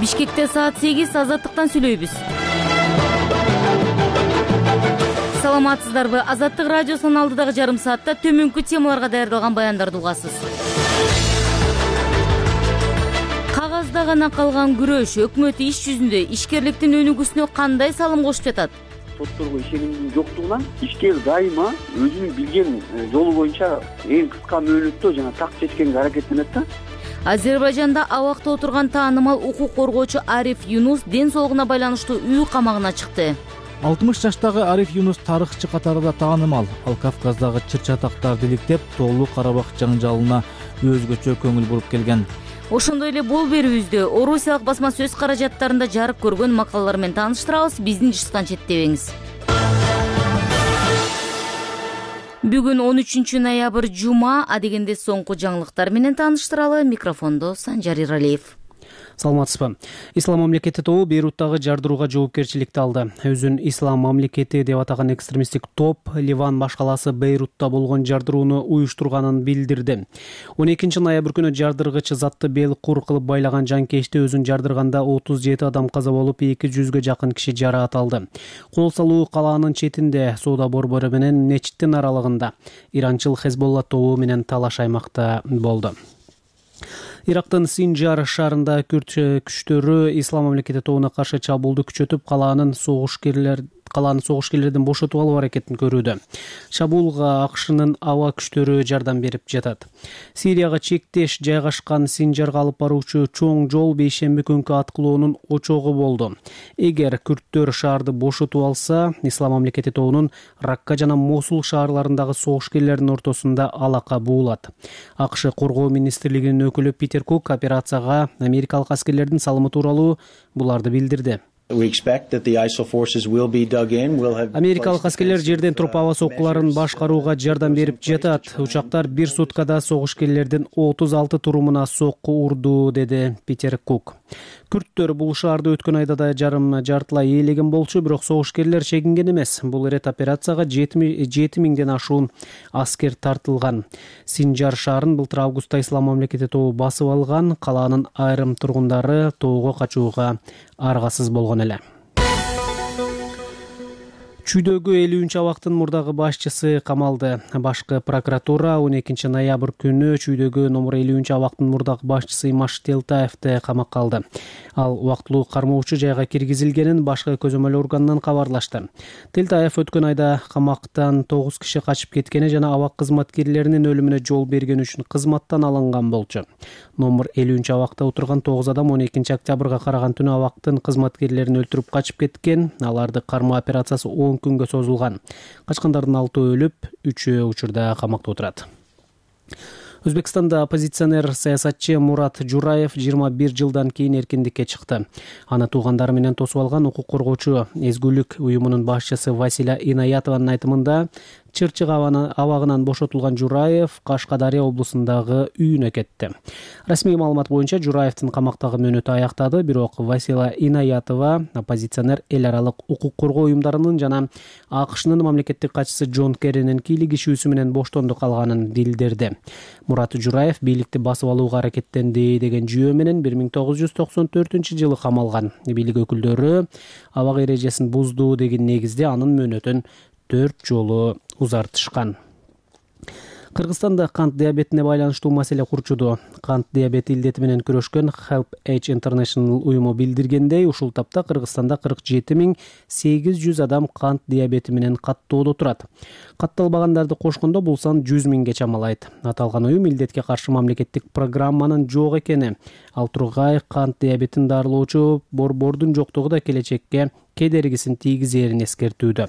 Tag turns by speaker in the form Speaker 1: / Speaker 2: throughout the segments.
Speaker 1: Бишкекте саат 8 азаттыктан сүйлөйбүз. Саламатсыздарбы? Азаттык радиосунун алдыдагы жарым саатта төмөнкү темаларга даярдалган баяндарды угасыз. Кагазда гана калган күрөш өкмөт иш жүзүндө ишкерликтин өнүгүүсүнө кандай салым кошуп жатат?
Speaker 2: Сотторго ишенимдин жоктугунан ишкер дайыма өзүнүн билген жолу боюнча эң кыска мөөнөттө жана так чечкенге аракеттенет да.
Speaker 1: Азербайжанда абакта отурган таанымал укук коргоочу Ариф Юнус ден соолугуна байланыштуу үй камагына чыкты.
Speaker 3: 60 жаштагы Ариф Юнус тарыхчы катарында таанымал. Ал Кавказдагы чыр-чатактарды иликтеп, Тоолуу Карабак жаңжалына өзгөчө көңүл буруп келген.
Speaker 1: Ошондой эле бол берүүбүздө Орусиялык басма сөз каражаттарында жарык көргөн макалалар менен тааныштырабыз. Биздин жышткан четтебеңиз. Бүгүн 13 ноябрь жума, адегенде соңку жаңылыктар менен тааныштыралы. Микрофондо Санжар Иралиев.
Speaker 4: Саламатсызбы? Ислам мамлекети тобу Бейруттагы жардырууга жоопкерчиликти алды. Өзүн Ислам мамлекети деп атаган экстремисттик топ Ливан баш калаасы Бейрутта болгон жардырууну уюштурганын билдирди. 12 ноябрь күнү жардыргыч затты бел кур кылып байлаган жанкечти өзүн жардырганда 37 адам каза болуп, 200-гө жакын киши жараат алды. Кол салуу калаанын четинде, соода борбору менен мечиттин аралыгында. Иранчыл Хезболла тобу менен талаш аймакта болду. Ирактын Синжар шаарында күрд күчтөрү Ислам мамлекети тобуна каршы чабуулду күчөтүп, калааны согушкерлерден бошотуп алуу аракетин көрүүдө. Чабуулга АКШнын аба күчтөрү жардам берип жатат. Сирияга чектеш жайгашкан Синжарга алып баруучу чоң жол бейшемби күнкү аткылоонун очогу болду. Эгер күрдтөр шаарды бошотуп алса, Ислам мамлекети тобунун Ракка жана Мосул шаарларындагы согушкерлердин ортосунда алака буулат. АКШ коргоо министрлигинин өкүлү Питер Кук операцияга америкалык аскерлердин салымы тууралуу буларды билдирди. Америкалык аскерлер жерден туруп аба соккуларын башкарууга жардам берип жатат. Учактар бир суткада согушкерлердин 36 турумуна сокку урду, деди Питер Кук. Күрдтөр бул шаарды өткөн айда да жартылай ээлеген болчу, бирок согушкерлер чегинген эмес. Бул ирет операцияга 7000ден ашуун аскер тартылган. Синжар шаарын былтыр августта Ислам мамлекети тобу басып алган. Калаанын айрым тургундары тоого качууга аргасыз болгон эле. Чүйдөгү 50 абактын мурдагы башчысы камалды. Башкы прокуратура 12 ноябрь күнү Чүйдөгү номер 50 абактын мурдагы башчысы Имаш Телтаевди камакка алды. Ал убактылуу кармоочу жайга киргизилгенин башкы көзөмөл органынан кабарлашты. Телтаев өткөн айда камактан 9 киши качып кеткени жана абак кызматкерлеринин өлүмүнө жол бергени үчүн кызматтан алынган болчу. Номер 50 абакта отурган 9 адам 12 октябрга караган түнү абактын кызматкерлерин өлтүрүп качып кеткен. Аларды кармоо операциясы 10 күнгө созулган. Качкандардын 6 өлүп, 3 учурда камакта отурат. Өзбекстанда оппозиционер саясатчы Мурат Жураев 21 жылдан кийин эркиндикке чыкты. Аны туугандары менен тосуп алган укук коргоочу Эзгүлүк уюмунун башчысы Василя Инаятованын айтымында, Чырчык абагынан бошотулган Жураев Кашкадария облусундагы үйүнө кетти. Расмий маалымат боюнча Жураевдин камактагы мөөнөтү аяктады, бирок Василя Инаятова оппозиционер эл аралык укук коргоо уюмдарынын жана АКШнын мамлекеттик катчысы Джон Керринин кийлигишүүсү менен боштондук алганын билдирди. Мурат Жураев бийликти басып алууга аракеттенди деген жүйө менен 1994-жылы камалган. Бийлик өкүлдөрү абак эрежесин бузду деген негизде анын мөөнөтүн 4 жолу узартышкан. Кыргызстанда кант диабетине байланыштуу маселе курчуду. Кант диабети илдети менен күрөшкөн Help Age International уюму билдиргендей, ушул тапта Кыргызстанда 47.800 адам кант диабети менен каттоодо турат. Катталбагандарды кошкондо бул сан 100 миңге чамалайт. Аталган уюм илдетке каршы мамлекеттик программанын жок экени, ал тургай кант диабетин дарылоочу борбордун жоктугу да келечекке кедергисин тийгизерин эскертүүдө.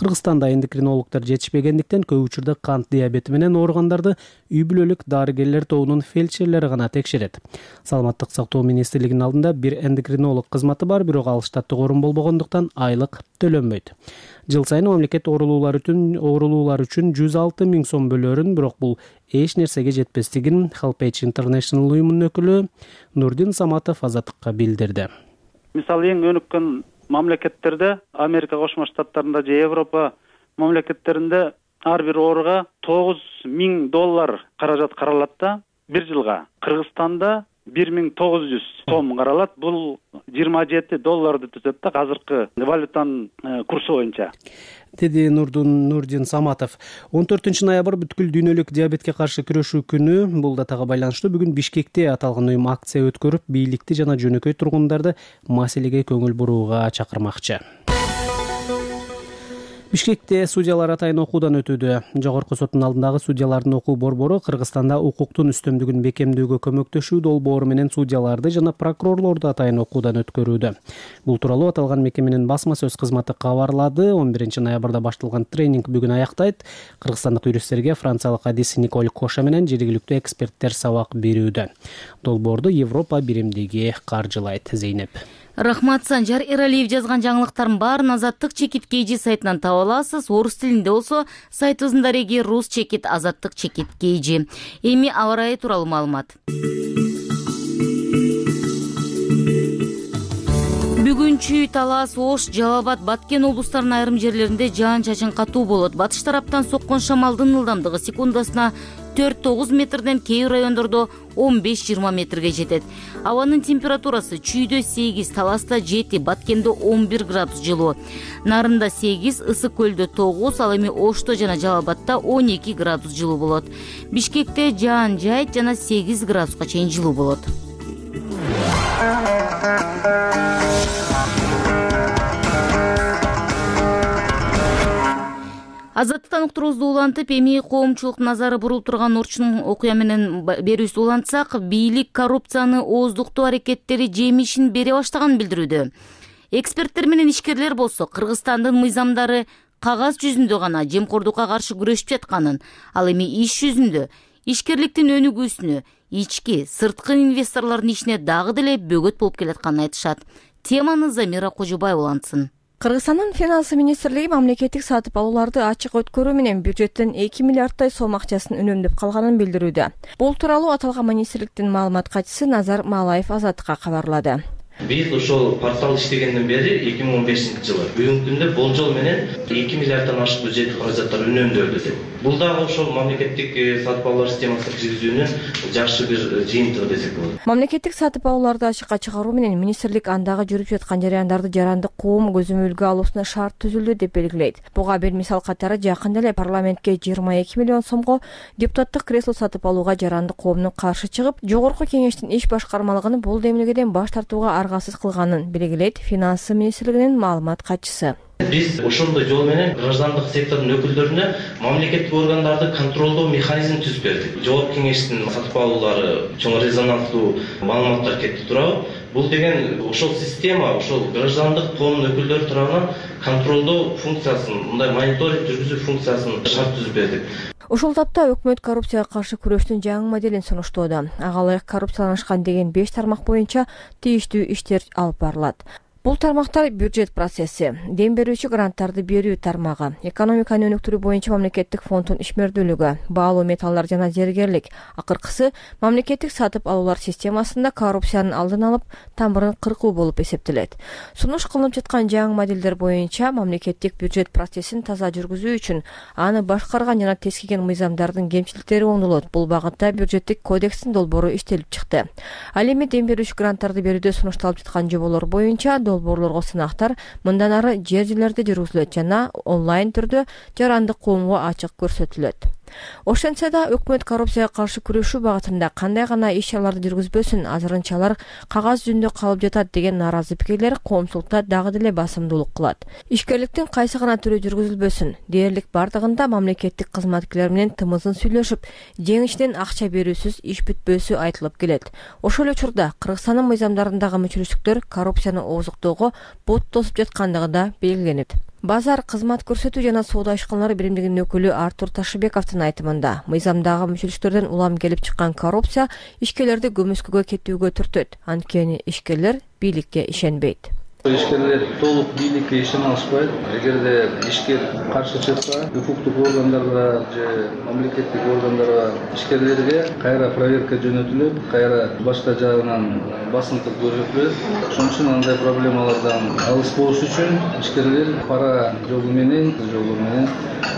Speaker 4: Кыргызстанда эндокринологдор жетишпегендиктен көп учурда кант диабети менен ооругандарды үй бүлөлүк дарыгерлер тобунун фельдшерлери гана текшерет. Саламаттык сактоо министрлигинин алдында бир эндокринолог кызматы бар, бирок ал штаттык орун болбогондуктан айлык төлөнбөйт. Жыл сайын мамлекет оорулуулар үчүн 106 миң сом бөлөрүн, бирок бул эч нерсеге жетпестигин Help Age International уюмунун өкүлү Нурдин Саматов Азаттыкка билдирди.
Speaker 5: Мисалы эң өнүккөн мамлекеттерде, Америка Кошмо Штаттарында же Европа мамлекеттеринде ар бир ооруга $9 миң каражат каралат да бир жылга. Кыргызстанда $1900 сом каралат. Бул $27 түзөт да азыркы валютанын курсу боюнча,
Speaker 4: деди Нурдин Саматов. 14 ноябрь бүткүл дүйнөлүк диабетке каршы күрөшүү күнү. Бул датага байланыштуу бүгүн Бишкекте аталган уюм акция өткөрүп, бийликти жана жөнөкөй тургундарды маселеге көңүл бурууга чакырмакчы. Бишкекте судьялар атайын окуудан өтүүдө. Жогорку соттун алдындагы судьялардын окуу борбору Кыргызстанда укуктун үстөмдүгүн бекемдөөгө көмөктөшүү долбоору менен судьяларды жана прокурорлорду атайын окуудан өткөрүүдө. Бул тууралуу аталган мекеменин басма сөз кызматы кабарлады. 11 ноябрда башталган тренинг бүгүн аяктайт. Кыргызстандык юристтерге франциялык адис Николь Коша менен жергиликтүү эксперттер сабак берүүдө. Долбоорду Европа биримдиги каржылайт. Зейнеп.
Speaker 1: Рахмат, Санжар Эралиев жазган жаңылыктардын баарын Азаттык чекит KG сайтынан таба аласыз. Орус тилинде болсо сайтыбыздын дареги Рус чекит Азаттык чекит KG. Эми аба ырайы тууралуу маалымат. Бүгүн Чүй, Талас, Ош, Жалал Абад, Баткен облустарынын айрым жерлеринде жаан-чачын катуу болот. Батыш тараптан соккон шамалдын ылдамдыгы секундасына 4-9 метрден, кээ райондордо 15-20 метрге жетет. Абанын температурасы Чүйдө 8, Таласта 7, Баткенде 11 градус жылуу. Нарында 8, Ысык көлдө 9, ал эми Ошто жана Жалал Абадта 12 градус жылуу болот. Бишкекте жаан жайт жана 8 градуска чейин жылуу болот. Азаттыктан уктуруубузду улантып, эми коомчулуктун назары бурулуп турган Орчун окуя менен берүүбүздү улантсак, бийлик коррупцияны ооздуктоо аракеттери жемишин бере баштаганын билдирүүдө. Эксперттер менен ишкерлер болсо Кыргызстандын мыйзамдары кагаз жүзүндө гана жемкордукка каршы күрөшүп жатканын, ал эми иш жүзүндө ишкерликтин өнүгүүсүнө, ички, сырткы инвесторлордун ишине дагы деле бөгөт болуп келатканын айтышат. Теманы Замира Кожубаева улантсын.
Speaker 6: Кыргызстандын финансы министрлиги мамлекеттик сатып алууларды ачык өткөрүү менен бюджеттен 2 миллиарддай сом акчасын үнөмдөп калганын билдирүүдө. Бул тууралуу аталган министрликтин маалымат катчысы Назар Малаев Азаттыкка кабарлады.
Speaker 7: Биз ошол портал иштегенден бери 2015 жылы бүгүнкү күндө болжол менен 2 миллиарддан ашык бюджеттик каражаттар үнөмдөлдү деп. Бул дагы ошол мамлекеттик сатып алуулар системасын киргизүүнүн жакшы бир жыйынтыгы десек болот.
Speaker 6: Мамлекеттик сатып алууларды ачыкка чыгаруу менен министрлик андагы жүрүп жаткан жараяндарды жарандык коом көзөмөлгө алуусуна шарт түзүлдү деп белгилейт. Буга бир мисал катары жакында эле парламентке 22 миллион сомго депутаттык кресло сатып алууга жарандык коомдун каршы чыгып, жогорку кеңештин иш башкармалыгын бул демилгеден баш тартууга аргасыз кылганын белгилейт финансы министрлигинин маалымат катчысы.
Speaker 7: Биз ошондой жол менен граждандык сектордун өкүлдөрүнө мамлекеттик органдарды контролдоо механизмин түзүп бердик. Жогорку кеңештин сатып алуулары чоң резонанстуу маалыматтар кетти турабы? Бул деген ошол система, ошол граждандык коомдун өкүлдөрү тарабынан контролдоо функциясын, мындай мониторинг жүргүзүү функциясын шарт түзүп бердик.
Speaker 6: Ушул тапта өкмөт коррупцияга каршы күрөштүн жаңы моделин сунуштоодо. Ага ылайык коррупцияланышкан деген 5 тармак боюнча тийиштүү иштер алып барылат. Бул тармактар бюджет процесси, дем берүүчү гранттарды берүү тармагы, экономиканы өнүктүрүү боюнча мамлекеттик фонддун ишмердүүлүгү, баалуу металлдар жана зергерлик. Акыркысы мамлекеттик сатып алуулар системасында коррупциянын алдын алып, тамырын кыркуу болуп эсептелет. Сунуш кылынып жаткан жаңы моделдер боюнча мамлекеттик бюджет процессин таза жүргүзүү үчүн аны башкарган жана тескиген мыйзамдардын кемчиликтери оңдолот. Бул багытта бюджеттик кодекстин долбоору иштелип чыкты. Ал эми дем берүүчү гранттарды берүүдө сунушталып жаткан жоболор боюнча долбоорлорго сынактар мындан ары жер-жерлерде жүргүзүлөт жана онлайн түрдө жарандык коомго ачык көрсөтүлөт. Ошентсе да өкмөт коррупцияга каршы күрөшүү багытында кандай гана иш-чараларды жүргүзбөсүн, азырынчалар кагаз жүзүндө калып жатат деген нааразы пикирлер коомчулукта дагы деле басымдуулук кылат. Ишкерликтин кайсы гана түрү жүргүзүлбөсүн, дээрлик бардыгында мамлекеттик кызматкерлер менен тымызын сүйлөшүп, жеңиштен акча берүүсүз иш бүтпөсү айтылып келет. Ошол учурда Кыргызстандын мыйзамдарындагы мүчүлүштүктөр коррупцияны ооздуктоого бут тосуп жаткандыгы да белгиленет. Базар кызмат көрсөтүү жана соода ишканалары биримдигинин өкүлү Артур Ташыбековдун айтымында, мыйзамдагы мүчүлүштөрдөн улам келип чыккан коррупция ишкерлерди көмүскөгө кетүүгө түртөт. Анткени ишкерлер бийликке ишенбейт.
Speaker 8: Ишкерлер толук бийликке ишене алышпайт. Эгерде ишкер каршы чыкса, укуктук органдарга же мамлекеттик органдарга ишкерлерге кайра проверка жөнөтүлөт, кайра башка жагынан басымдык көрсөтүлөт. Ошон үчүн андай проблемалардан алыс болуш үчүн ишкерлер пара жолу менен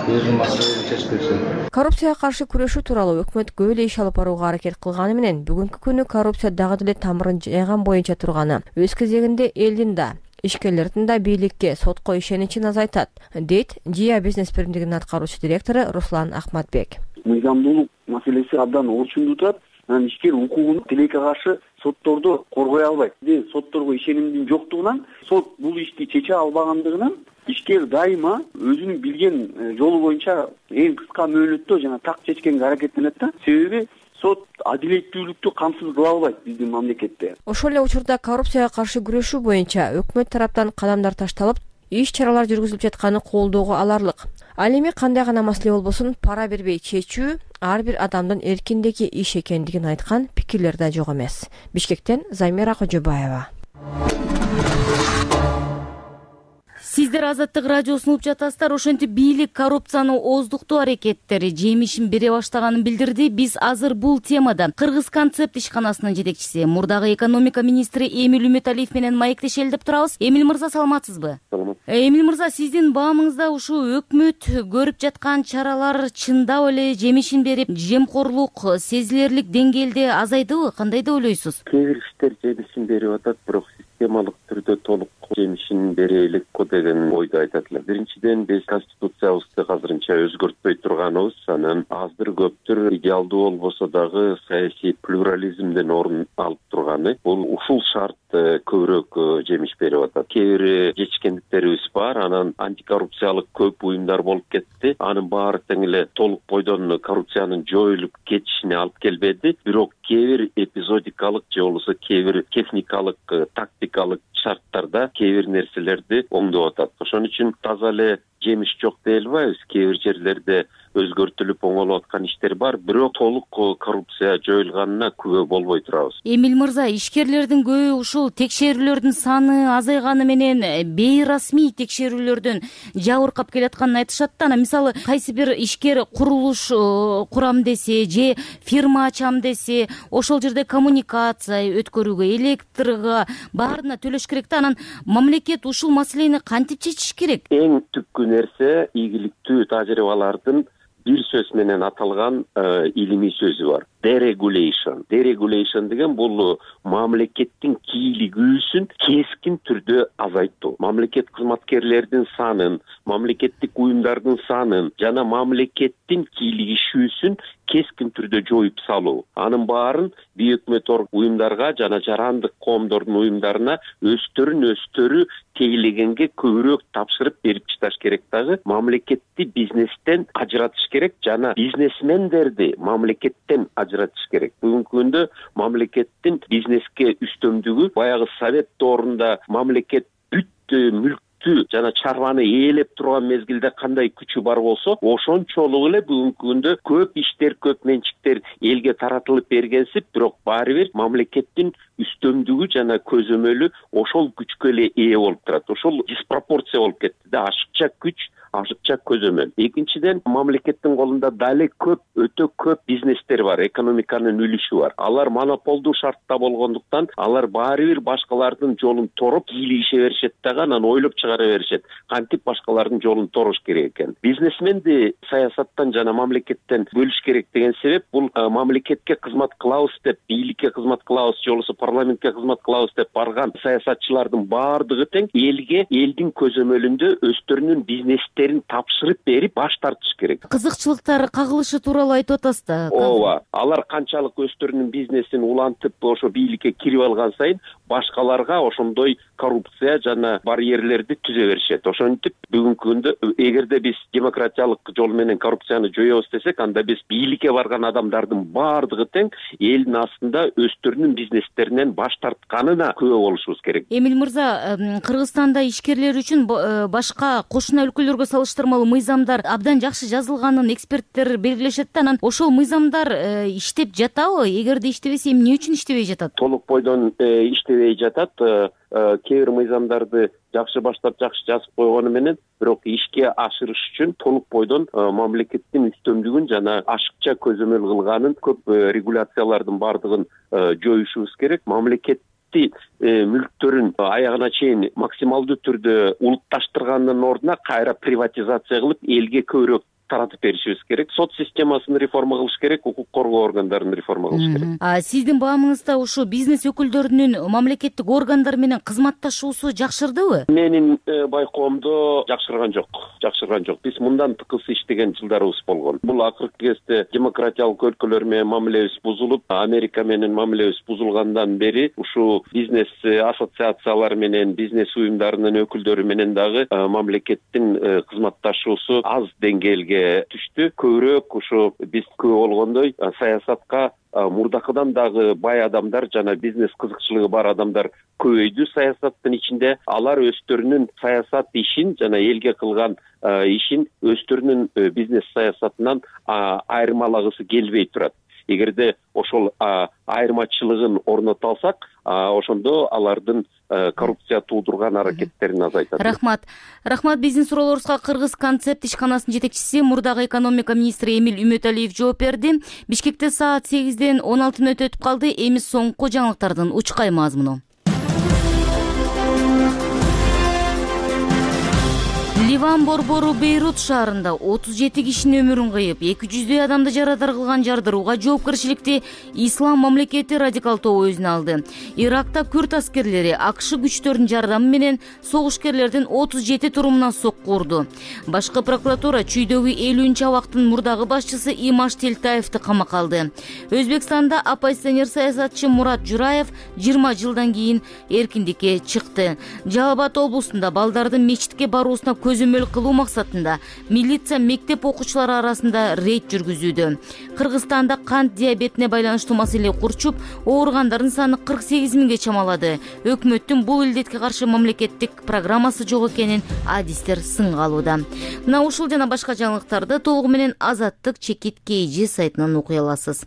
Speaker 8: өзүнүн максатын чечип беришет.
Speaker 6: Коррупцияга каршы күрөшүү тууралуу өкмөт көп эле иш алып барууга аракет кылганы менен бүгүнкү күнү коррупция дагы деле тамырын жайган боюнча турганы өз кезегинде элдин да ишкерлердин да бийликке сотко ишеничин азайтат, дейт Жия бизнес биримдигинин аткаруучу директору Руслан Ахматбек.
Speaker 2: Мыйзамдуулук маселеси абдан орчундуу турат. Анан ишкер укугун тилекке каршы соттордо коргой албайт. Сотторго ишенимдин жоктугунан, сот бул ишти чече албагандыгынан ишкер дайыма өзүнүн билген жолу боюнча эң кыска мөөнөттө жана так чечкенге аракеттенет да. Себеби сот адилеттүүлүктү камсыз кыла албайт биздин мамлекетте.
Speaker 6: Ошол эле учурда коррупцияга каршы күрөшүү боюнча өкмөт тараптан кадамдар ташталып, иш-чаралар жүргүзүлүп жатканы колдоого аларлык. Ал эми кандай гана маселе болбосун пара бербей чечүү ар бир адамдын эркиндеги иш экендигин айткан пикирлер да жок эмес. Бишкектен Замира Кожобаева.
Speaker 1: Сиздер Азаттык радиосун угуп жатасыздар. Ошентип бийлик коррупцияны ооздуктоо аракеттери жемишин бере баштаганын билдирди. Биз азыр бул темада Кыргыз концепт ишканасынын жетекчиси, мурдагы экономика министри Эмиль Үмүталиев менен маектешели деп турабыз. Эмиль мырза, саламатсызбы?
Speaker 2: Саламат.
Speaker 1: Эмиль мырза, сиздин баамыңызда ушу өкмөт көрүп жаткан чаралар чындап эле жемишин берип, жемкорлук сезилерлик деңгээлде азайдыбы? Кандай деп ойлойсуз?
Speaker 9: Кээ бир иштер жемишин берип атат, бирок системалык түрдө толук жемишин бере элекпи деген ойду айтат эле. Биринчиден, биз конституциябызды азырынча өзгөртпөй турганыбыз, анан аздыр көптүр идеалдуу болбосо дагы саясий плюрализмден орун алып турганы. Бул ушул шарт көбүрөөк жемиш берип атат. Кээ бир жетишкендиктерибиз бар, анан антикоррупциялык көп уюмдар болуп кетти. Анын баары тең эле толук бойдон коррупциянын жоюлуп кетишине алып келбеди. Бирок кээ бир эпизодикалык же болбосо кээ бир техникалык, тактикалык шарттарда кээ бир нерселерди оңдоп атат. Ошон үчүн таза эле жемиш жок дей албайбыз. Кээ бир жерлерде өзгөртүлүп оңолуп аткан иштер бар, бирок толук коррупция жоюлганына күбө болбой турабыз.
Speaker 1: Эмиль мырза, ишкерлердин көбү ушул текшерүүлөрдүн саны азайганы менен бейрасмий текшерүүлөрдөн жабыркап келатканын айтышат да. Мисалы, кайсы бир ишкер курулуш курам десе же фирма ачам десе, ошол жерде коммуникация өткөрүүгө, электрга баарына төлөш керек да. Анан мамлекет ушул маселени кантип чечиш керек?
Speaker 9: Эң түпкү нерсе ийгиликтүү тажрыйбалардын бир сөз менен аталган илимий сөзү бар. Deregulation. Deregulation деген бул мамлекеттин кийлигүүсүн кескин түрдө азайттуу. Мамлекет кызматкерлердин санын, мамлекеттик уюмдардын санын жана мамлекеттин кийлигишүүсүн кескин түрдө жоюп салуу. Анын баарын бейөкмөт уюмдарга жана жарандык коомдордун уюмдарына өстөрү тейлегенге көбүрөөк тапшырып берип чыдаш керек дагы. Мамлекетти бизнестен ажыратыш керек жана бизнесмендерди мамлекеттен ажыратыш керек. Бүгүнкү күндө мамлекеттин бизнеске үстөмдүгү баягы совет доорунда мамлекет бүт мүлктү жана чарбаны ээлеп турган мезгилде кандай күчү бар болсо, ошончолук эле бүгүнкү күндө көп иштер, көп менчиктер элге таратылып бергенсип, бирок баары бир мамлекеттин үстөмдүгү жана көзөмөлү ошол күчкө эле ээ болуп турат. Ошол диспропорция болуп кетти да, ашыкча күч, ашыкча көзөмөл. Экинчиден, мамлекеттин колунда дале өтө көп бизнестер бар, экономиканын үлүшү бар. Алар монополдуу шартта болгондуктан, алар баары бир башкалардын жолун тороп кийлигише беришет дагы, анан ойлоп чыгара беришет. Кантип башкалардын жолун торош керек экен. Бизнесменди саясаттан жана мамлекеттен бөлүш керек деген себеп, бул мамлекетке кызмат кылабыз деп, бийликке кызмат кылабыз же болбосо парламентке кызмат кылабыз деп барган саясатчылардын баардыгы тең элге, элдин көзөмөлүндө өздөрүнүн бизнестерин тапшырып берип баш тартыш керек.
Speaker 1: Кызыкчылыктар кагылышы тууралуу айтып атасыз да.
Speaker 9: Ооба, алар канчалык өздөрүнүн бизнесин улантып ошо бийликке кирип алган сайын башкаларга ошондой коррупция жана барьерлерди түзө беришет. Ошентип бүгүнкү күндө эгерде биз демократиялык жол менен коррупцияны жоебуз десек, анда биз бийликке барган адамдардын баардыгы тең элдин астында өздөрүнүн бизнестеринен баш тартканына күбө болушубуз керек.
Speaker 1: Эмиль мырза, Кыргызстанда ишкерлер үчүн башка кошуна өлкөлөргө салыштырмалуу мыйзамдар абдан жакшы жазылганын эксперттер белгилешет да. Анан ошол мыйзамдар иштеп жатабы? Эгерде иштебесе, эмне үчүн иштебей жатат?
Speaker 9: Толук бойдон иштебей жатат. Кээ бир мыйзамдарды жакшы баштап, жакшы жазып койгону менен, бирок ишке ашырыш үчүн толук бойдон мамлекеттин үстөмдүгүн жана ашыкча көзөмөл кылганын көп регуляциялардын баардыгын жоюшубуз керек. Мамлекет мүлктөрүн аягына чейин максималдуу түрдө улутташтыргандын ордуна кайра приватизация кылып, элге көбүрөөк таратып беришибиз керек. Сот системасын реформа кылыш керек, укук коргоо органдарын реформа кылыш керек.
Speaker 1: Сиздин баамыңызда ушу бизнес өкүлдөрүнүн мамлекеттик органдар менен кызматташуусу жакшырдыбы?
Speaker 9: Менин байкоомдо жакшырган жок. Биз мындан тыкыз иштеген жылдарыбыз болгон. Бул акыркы кезде демократиялык өлкөлөр менен мамилебиз бузулуп, Америка менен мамилебиз бузулгандан бери ушу бизнес ассоциациялар менен, бизнес уюмдарынын өкүлдөрү менен дагы мамлекеттин кызматташуусу аз деңгээлге түштү. Көбүрөөк ушу биз күбө болгондой саясатка мурдакыдан дагы бай адамдар жана бизнес кызыкчылыгы бар адамдар көбөйдү саясаттын ичинде. Алар өздөрүнүн саясат ишин жана элге кылган ишин өздөрүнүн бизнес саясатынан айырмалагысы келбей турат. Эгерде ошол айырмачылыгын орното алсак, ошондо алардын коррупция туудурган аракеттерин азайтат.
Speaker 1: Рахмат. Биздин суроолорубузга Кыргыз концепт ишканасынын жетекчиси, мурдагы экономика министри Эмиль Үмөталиев жооп берди. Бишкекте саат 8-ден 16 мүнөт өтүп калды. Эми соңку жаңылыктардын учкай мазмуну. Ливан борбору Бейрут шаарында 37 кишинин өмүрүн кыйып, 200 адамды жарадар кылган жардырууга жоопкерчиликти Ислам мамлекети радикал тобу өзүнө алды. Иракта күрд аскерлери АКШ күчтөрүнүн жардамы менен согушкерлердин 37 турумуна сокку урду. Башкы прокуратура чүйдөгү 50-абактын мурдагы башчысы Имаш Телтаевди камакка алды. Өзбекстанда оппозиционер саясатчы Мурат Жураев 20 жылдан кийин эркиндикке чыкты. Жалал Абад облусунда балдардын мечитке баруусуна көзөмөл кылуу максатында милиция мектеп окуучулары арасында рейд жүргүзүүдө. Кыргызстанда кант диабетине байланыштуу маселе курчуп, ооругандардын саны 48 миңге чамалады. Өкмөттүн бул илдетке каршы мамлекеттик программасы жок экенин адистер сынга алууда. Мына ушул жана башка жаңылыктарды толугу менен Азаттык чекит KG сайтынан окуй аласыз.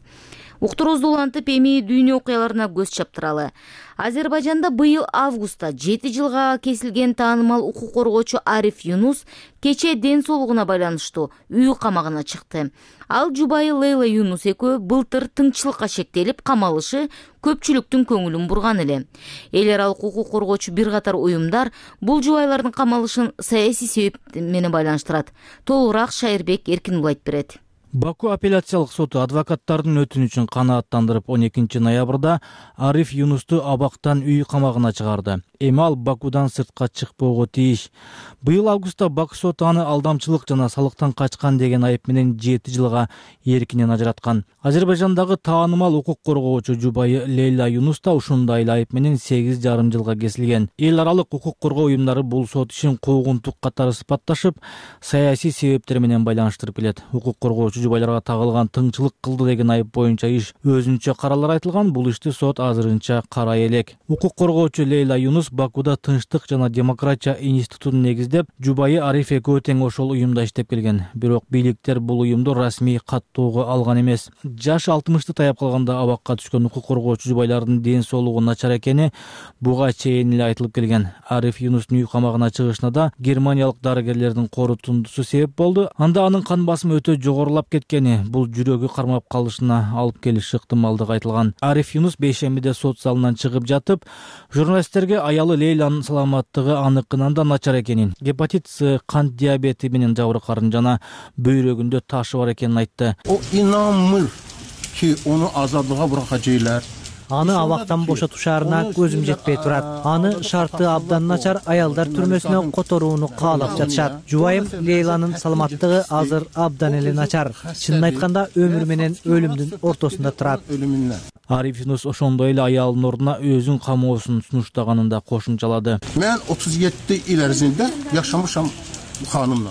Speaker 1: Уктуруубузду улантып, эми дүйнө окуяларына көз чаптыралы. Азербайжанда быйыл августта 7 жылга кесилген таанымал укук коргоочу Ариф Юнус кечээ ден соолугуна байланыштуу үй камагына чыкты. Ал жубайы Лейла Юнус экөө былтыр тынччылыкка шектелип камалышы көпчүлүктүн көңүлүн бурган эле. Эл аралык укук коргоочу бир катар уюмдар бул жубайлардын камалышын саясий себеп менен байланыштырат. Толугураак Шайырбек Эркинбул айтып берет.
Speaker 3: Баку апелляциялык соту адвокаттардын өтүнүчүн канааттандырып 12 ноябрда Ариф Юнусту абактан үй камагына чыгарды. Эми ал Бакудан сыртка чыкпоого тийиш. Быйыл августта Баку соту аны алдамчылык жана салыктан качкан деген айып менен 7 жылга эркинен ажыраткан. Азербайжандагы таанымал укук коргоочу жубайы Лейла Юнус да ушундай эле айып менен 8,5 жылга кесилген. Эл аралык укук коргоо уюмдары бул сот ишин куугунтук катары сыпатташып, саясий себептер менен байланыштырып келет. Укук коргоочу жубайларга тагылган тыңчылык кылды деген айып боюнча иш өзүнчө каралар айтылган. Бул ишти сот азырынча карай элек. Укук коргоочу Лейла Юнус Бакуда тынчтык жана демократия институтун негиздеп, жубайы Ариф экөө тең ошол уюмда иштеп келген. Бирок бийликтер бул уюмду расмий каттоого алган эмес. Жаш 60-ты таяп калганда абакка түшкөн укук коргоочу жубайлардын ден соолугу начар экени буга чейин эле айтылып келген. Ариф Юнустун үй камагына чыгышына да германиялык дарыгерлердин корутундусу себеп болду. Анда анын кан басымы өтө жогорулап кеткени бул жүрөгү кармап калышына алып келиши ыктымалдыгы айтылган. Ариф Юнус бейшембиде сот залынан чыгып жатып, журналисттерге аялы Лейланын саламаттыгы аныкынан да начар экенин, гепатит С, кант диабети менен жабыркарын жана бөйрөгүндө ташы бар экенин айтты.
Speaker 10: O inanmır ki onu azadlığa bırakacaklar.
Speaker 11: Аны абактан бошотушарына көзүм жетпей турат. Аны шарты абдан начар аялдар түрмөсүнө которууну каалап жатышат. Жубайым Лейланын саламаттыгы азыр абдан эле начар. Чынын айтканда өмүр менен өлүмдүн ортосунда турат.
Speaker 3: Ариф Юнус ошондой эле аялынын ордуна өзүн камоосун сунуштаганын да кошумчалады.
Speaker 10: Мен 37 ил эрзинде жашамышам.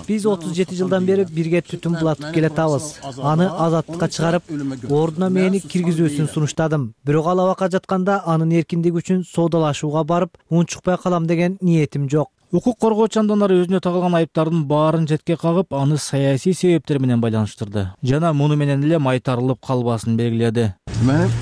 Speaker 11: Биз 37 жылдан бери бирге түтүн булатып келатабыз. Аны азаттыкка чыгарып, ордуна мени киргизүүсүн сунуштадым. Бирок ал абакка жатканда анын эркиндиги үчүн соодалашууга барып, унчукпай калам деген ниетим жок.
Speaker 3: Укук коргоочу анданары өзүнө тагылган айыптардын баарын четке кагып, аны саясий себептер менен байланыштырды. Жана муну менен эле майтарылып калбасын белгиледи.
Speaker 10: Менин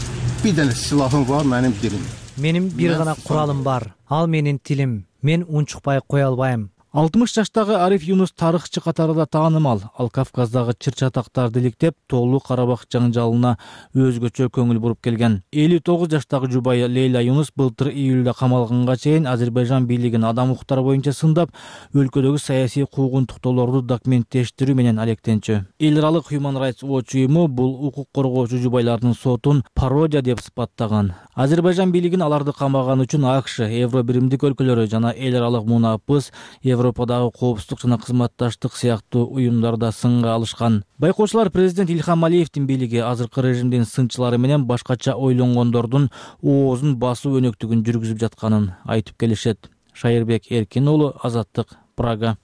Speaker 10: бир деле силахым бар, менин дилим.
Speaker 11: Менин бир гана куралым бар. Ал менин тилим. Мен унчукпай кое албайм.
Speaker 3: 60 жаштагы Ариф Юнус тарыхчы катарында таанымал. Ал Кавказдагы чыр-чатактарды иликтеп, Тоолуу Карабак жаңжалына өзгөчө көңүл буруп келген. 59 жаштагы жубайы Лейла Юнус былтыр июлда камалганга чейин Азербайжан бийлигин адам укуктары боюнча сындап, өлкөдөгү саясий куугунтуктоолорду документтештирүү менен алектенчү. Эл аралык Human Rights Watch уюму бул укук коргоочу жубайлардын сотун пародия деп сыпаттаган. Азербайжан бийлигин аларды камаган үчүн АКШ, Евробиримдик өлкөлөрү жана эл аралык мунапыс Европадагы коопсуздук жана кызматташтык сыяктуу уюмдарда сынга алышкан. Байкоочулар президент Ильхам Алиевдин бийлиги азыркы режимдин сынчылары менен башкача ойлонгондордун оозун басуу өнөктүгүн жүргүзүп жатканын айтып келишет. Шайырбек Эркин уулу, Азаттык, Прага.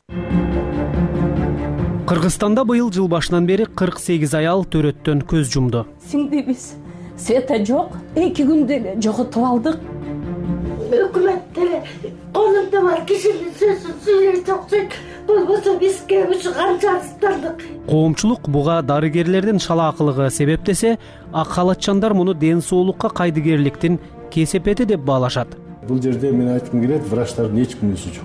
Speaker 4: Кыргызстанда быйыл жыл башынан бери 48 аял төрөттөн көз жумду.
Speaker 12: Сиңдибиз света жок, 2 күндө эле жоготуп алдык. Өкмөттөр колунда бар кишинин сөзүн сүйлөй токсойт, болбосо бизге ушу канчалыктардык.
Speaker 4: Коомчулук буга дарыгерлердин шалаакылыгы себептесе, ак халатчандар муну ден соолукка кайдыгерликтин кесепети деп баалашат.
Speaker 10: Бул жерде мен айткым келет, врачтардын эч кимдин өлүшү жок.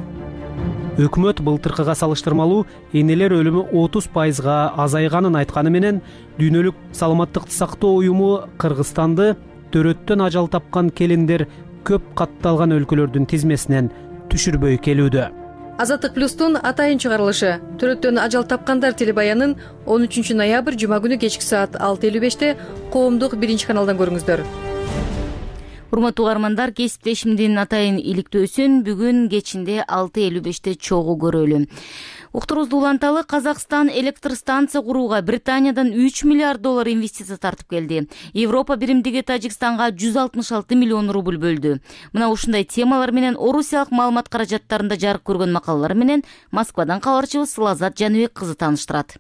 Speaker 4: Өкмөт былтыркыга салыштырмалуу энелер өлүмү 30% азайганын айтканы менен, Дүйнөлүк саламаттыкты сактоо уюму Кыргызстанды төрөттөн ажал тапкан келиндер көп катталган өлкөлөрдүн тизмесинен түшүрбөй келүүдө.
Speaker 13: Азаттык плюстун атайын чыгарылышы төрөттөн ажал тапкандар телебаянын 13 ноябрь жума күнү кечки саат 6:55 коомдук 1 каналдан көрүңүздөр.
Speaker 1: Урматтуу угармандар, кесиптешимдин атайын иликтөөсүн бүгүн кечинде 6:55 чогуу көрөлү. Уктурубузду уланталы. Казакстан электр станция курууга Британиядан 3 миллиард доллар инвестиция тартып келди. Европа биримдиги Тажикстанга 166 миллион рубль бөлдү. Мына ушундай темалар менен орусиялык маалымат каражаттарында жарык көргөн макалалар менен Москвадан кабарчыбыз Лазат Жаныбек кызы тааныштырат.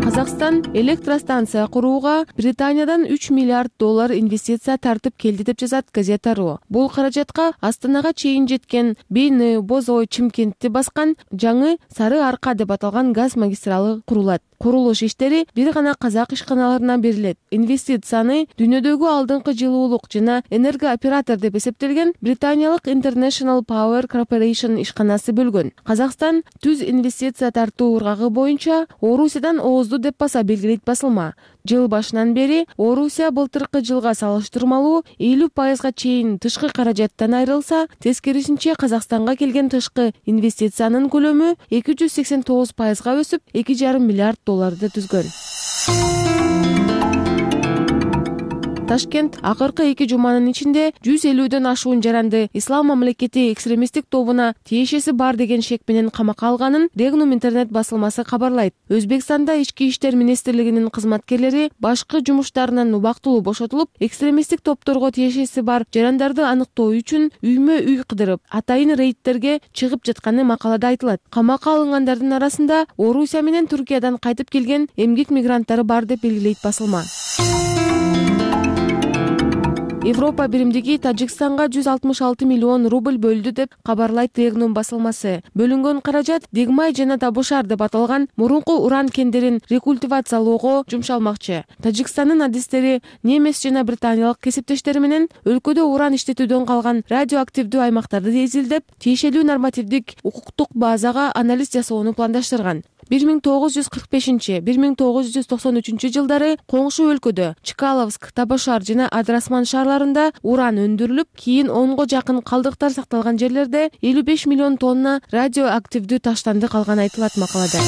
Speaker 14: Казакстан электростанция курууга Британиядан 3 миллиард доллар инвестиция тартып келди деп жазат газета.ру. Бул каражатка Астанага чейин жеткен Бейни, Бозой, Чимкентти баскан жаңы Сары Арка деп аталган газ магистралы курулат. Курулуш иштери бир гана казак ишканаларына берилет. Инвестицияны дүйнөдөгү алдыңкы жылуулук жана энергооператор деп эсептелген британиялык International Power Corporation ишканасы бөлгөн. Казакстан түз инвестиция тартуу ыргагы боюнча Орусиядан оозду деп баса белгилейт басылма. Жыл башынан бери Орусия былтыркы жылга салыштырмалуу 50% чейин тышкы каражаттан айрылса, тескерисинче Казакстанга келген тышкы инвестициянын көлөмү 289% өсүп, 2,5 миллиард долларды түзгөн. Ташкент акыркы 2 жуманын ичинде 150дөн ашуун жаранды Ислам мамлекети экстремисттик тобуна тиешеси бар деген шек менен камакка алганын Регнум интернет басылмасы кабарлайт. Өзбекстанда ички иштер министрлигинин кызматкерлери башкы жумуштарынан убактылуу бошотулуп, экстремисттик топторго тиешеси бар жарандарды аныктоо үчүн үймө-үй кыдырып, атайын рейдтерге чыгып жатканы макалада айтылат. Камакка алынгандардын арасында Орусия менен Түркиядан кайтып келген эмгек мигранттары бар деп белгилейт басылма. Европа биримдиги Тажикстанга 166 миллион рубль бөлдү деп кабарлайт Регнум басылмасы. Бөлүнгөн каражат Дегмай жана Табушар деп аталган мурунку уран кендерин рекультивациялоого жумшалмакчы. Тажикстандын адистери немис жана британиялык кесиптештери менен өлкөдө уран иштетүүдөн калган радиоактивдүү аймактарды изилдеп, тиешелүү нормативдик укуктук базага анализ жасоону пландаштырган. 1945-1993 жылдары коңшу өлкөдө Чкаловск, Табашар жана Адрасман шаарларында уран өндүрүлүп, кийин 10го жакын калдыктар сакталган жерлерде 55 миллион тонна радиоактивдүү таштанды калган айтылат макалада.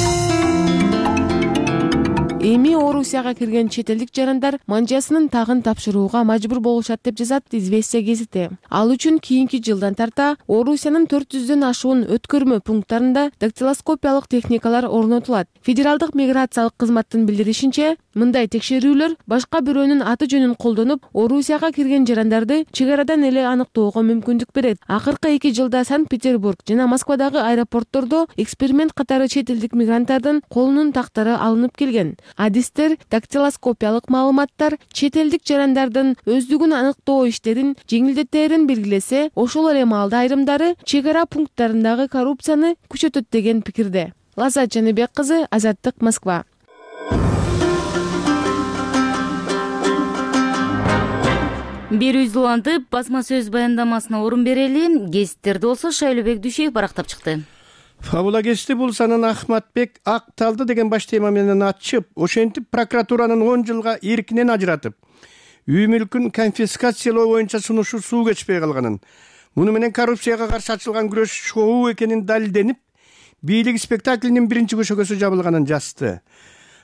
Speaker 14: Эми Орусияга кирген чет элдик жарандар манжасынын тагын тапшырууга мажбур болушат деп жазат Известия гезити. Ал үчүн кийинки жылдан тарта Орусиянын 400дөн ашуун өткөрмө пункттарында дактилоскопиялык техникалар орнотулат. Федералдык миграциялык кызматтын билдиришинче, мындай текшерүүлөр башка бирөөнүн аты жөнүн колдонуп, Орусияга кирген жарандарды чек арадан эле аныктоого мүмкүндүк берет. Акыркы 2 жылда Санкт-Петербург жана Москвадагы аэропорттордо эксперимент катары чет элдик мигранттардын колунун тактары алынып келген. Адистер дактилоскопиялык маалыматтар чет элдик жарандардын өздүгүн аныктоо иштерин жеңилдетерин белгилесе, ошол эле маалда айрымдары чек ара пункттарындагы коррупцияны күчөтөт деген пикирде. Лазат Жаныбек кызы, Азаттык, Москва.
Speaker 1: Берүүбүздү улантып басма сөз баяндамасына орун берели. Гезиттерде болсо Шайлообек Дүйшөев барактап чыкты.
Speaker 15: Фабула гезити бул санын Ахматбек акталды деген баш тема менен ачып, ошентип прокуратуранын 10 жылга эркинен ажыратып, үй мүлкүн конфискациялоо боюнча сунушу суу кечпей калганын, муну менен коррупцияга каршы ачылган күрөш шоу экенин далилденип, бийлик спектаклинин биринчи көшөгөсү жабылганын жазды.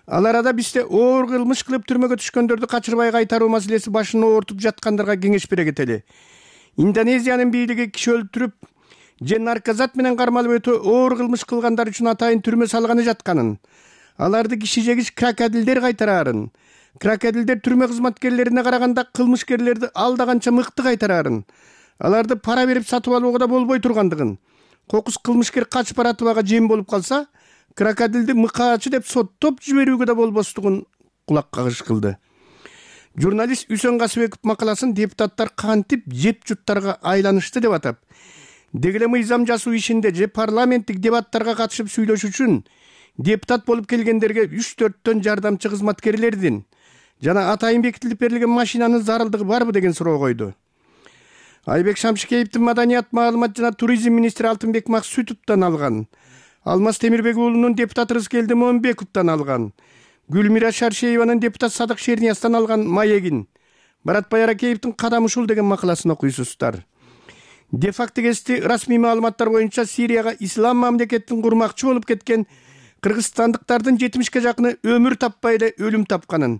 Speaker 15: Ал арада бизде оор кылмыш кылып түрмөгө түшкөндөрдү качырбай кайтаруу маселеси башын оортуп жаткандарга кеңеш бере кетели. Индонезиянын бийлиги киши өлтүрүп же наркозат менен кармалып өтө оор кылмыш кылгандар үчүн атайын түрмө салганы жатканын, аларды киши жегич крокодилдер кайтараарын, крокодилдер түрмө кызматкерлерине караганда кылмышкерлерди алда канча мыкты кайтараарын, аларды пара берип сатып алууга да болбой тургандыгын, кокус кылмышкер качып баратыбага жем болуп калса, крокодилди мыкаачы деп соттоп жиберүүгө да болбостугун кулак кагыш кылды. Журналист Үсөн Касыбеков макаласын депутаттар кантип жеп жуттарга айланышты деп атап, дегеле мыйзам жасоо ишинде же парламенттик дебаттарга катышып сүйлөш үчүн депутат болуп келгендерге 3-4төн жардамчы кызматкерлердин жана атайын бекитилип берилген машинанын зарылдыгы барбы деген суроо койду. Айбек Шамшыкеевдин маданият, маалымат жана туризм министри Алтынбек Максутовдон алган, Алмаз Темирбек уулунун депутат Рыскелди Момбековдон алган, Гүлмира Шаршееванын депутат Садык Шерниястан алган маегин, Баратбай Аракеевдин кадам ушул деген макаласын окуйсуздар. Де-факто гезити расмий маалыматтар боюнча Сирияга ислам мамлекетин курмакчы болуп кеткен кыргызстандыктардын 70ке жакыны өмүр таппай эле өлүм тапканын,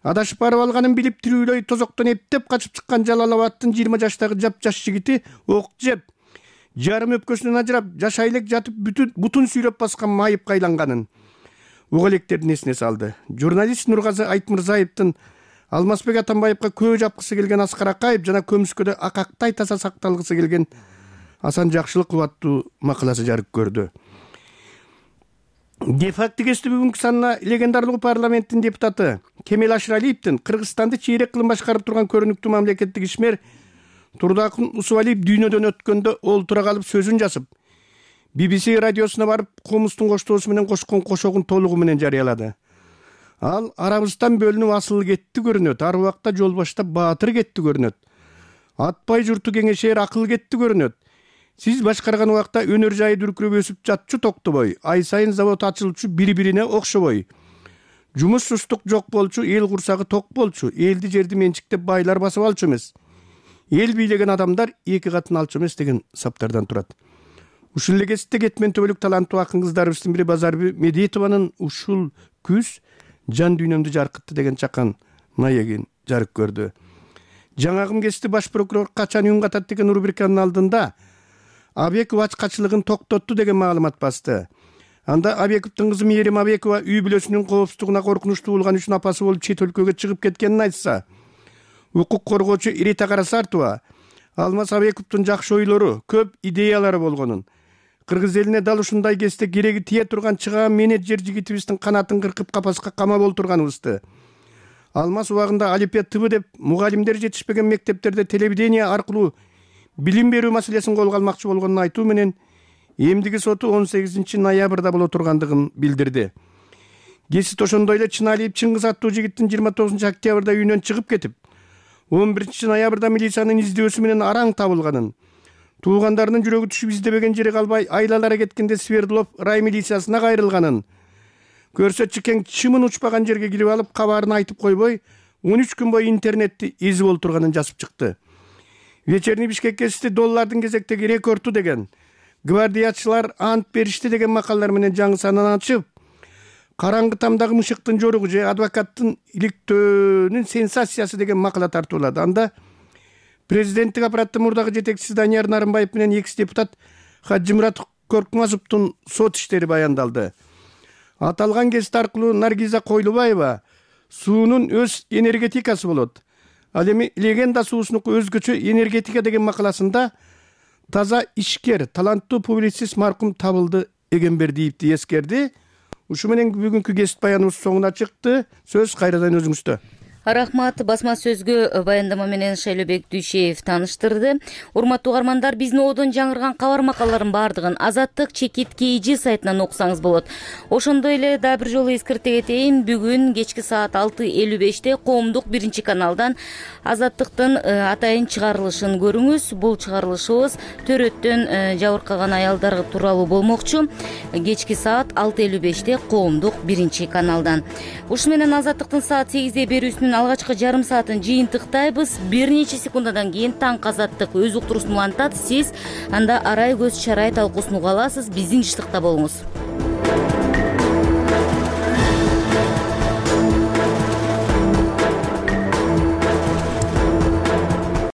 Speaker 15: адашып барып алганын билип тирүүлөй тозоктон эптеп качып чыккан Жалал-Абадтын 20 жаштагы жап-жаш жигити ок жеп, жарым өпкөсүнөн ажырап, жашай элек жатып бутун сүйрөп баскан майыпка айланганын уга электердин эсине салды. Журналист Нургазы Айтмырзаевдин Алмазбек Атамбаевга көө жапкысы келген Аскар Акаев жана көмүскөдө акактай таза сакталгысы келген Асан Жакшылыков аттуу макаласы жарык көрдү. Де-факто гезити бүгүнкү санына легендарлуу парламенттин депутаты Кемел Ашыралиевдин Кыргызстанды чейрек кылым башкарып турган көрүнүктүү мамлекеттик ишмер Турдакун Усубалиев дүйнөдөн өткөндө олтура калып сөзүн жазып, BBC радиосуна барып комустун коштоосу менен кошкон кошогун толугу менен жарыялады. Ал арабыздан бөлүнүп асыл кетти көрүнөт, ар убакта жол баштап баатыр кетти көрүнөт. Атпай журту кеңешер акыл кетти көрүнөт. Сиз башкарган убакта өнөр жайы дүркүрөп өсүп жатчу токтобой, ай сайын завод ачылчу бири-бирине окшобой. Жумуш сустук жок болчу, эл курсагы ток болчу, элди жерди менчиктеп байлар басып алчу эмес. Эл бийлеген адамдар эки катын алчу эмес деген саптардан турат. Ушул эле кезекте кетмен төбөлүк таланттуу акын кыздарыбыздын бири Базарбү Медетованын ушул күз жан дүйнөмдү жаркытты деген чакан маегин жарык көрдү. Жаңагым кезекте баш прокурор качан үн катат деген рубриканын алдында Абеков ачкачылыгын токтотту деген маалымат басты. Анда Абековдун кызы Мээрим Абекова үй бүлөсүнүн коопсуздугуна коркунучтуу болгон үчүн апасы болуп чет өлкөгө чыгып кеткенин айтса, укук коргоочу Ирита Карасартова Алмаз Абековдун жакшы ойлору, көп идеялары болгонун, кыргыз элине дал ушундай кезде кереги тие турган чыгаан менеджер жигитибиздин канатын кыркып капаска камап олтурганыбызды, Алмаз убагында Алипия ТВ деп мугалимдер жетишпеген мектептерде телевидение аркылуу билим берүү маселесин колго алмакчы болгонун айтуу менен эмдиги соту 18 ноябрда боло тургандыгын билдирди. Гезит ошондой эле Чыналиев Чыңгыз аттуу жигиттин 29 октябрда үйүнөн чыгып кетип, 11 ноябрда милициянын издөөсү менен араң табылганын, туугандарынын жүрөгү түшүп издебеген жери калбай айлалара кеткенде Свердлов рай милициясына кайрылганын, көрсөтчү кең чымын учпаган жерге кирип алып кабарын айтып койбой 13 күн бою интернетти эзип олтурганын жазып чыкты. Вечерний Бишкек гезити доллардын кезектеги рекорду деген, гвардиячылар ант беришти деген макалалар менен жаңы санын ачып, караңгы тамдагы мышыктын жоругу же адвокаттын иликтөөнүн сенсациясы деген макала тартуулады. Анда президенттик аппараттын мурдагы жетекчиси Данияр Нарымбаев менен экс депутат Хаджимурат Коркмазовдун сот иштери баяндалды. Аталган гезит аркылуу Наргиза Койлубаева суунун өз энергетикасы болот. Ал эми легенда суусунуку өзгөчө энергетика деген макаласында таза ишкер, таланттуу публицист маркум табылды Эгембердиевди эскерди. Ушу менен бүгүнкү гезит баяныбыз соңуна чыкты. Сөз кайрадан өзүңүздө.
Speaker 1: Рахмат. Басма сөзгө баяндама менен Шайлообек Дүйшеев тааныштырды. Урматтуу угармандар, биздин одон жаңырган кабар макалалардын баардыгын Азаттык чекит KG сайтынан окусаңыз болот. Ошондой эле дагы бир жолу эскерте кетейин, бүгүн кечки саат 6:55 коомдук 1-каналдан Азаттыктын атайын чыгарылышын көрүңүз. Бул чыгарылышыбыз төрөттөн жабыркаган аялдар тууралуу болмокчу. Кечки саат 6:55 коомдук 1-каналдан. Ушу менен Азаттыктын саат 8 берүүсүнүн алгачкы жарым саатын жыйынтыктайбыз. Бир нече секундадан кийин Таң Азаттык өз уктуруусун улантат. Сиз анда арай көз чарай талкуусун уга аласыз. Биздин иштыкта болуңуз.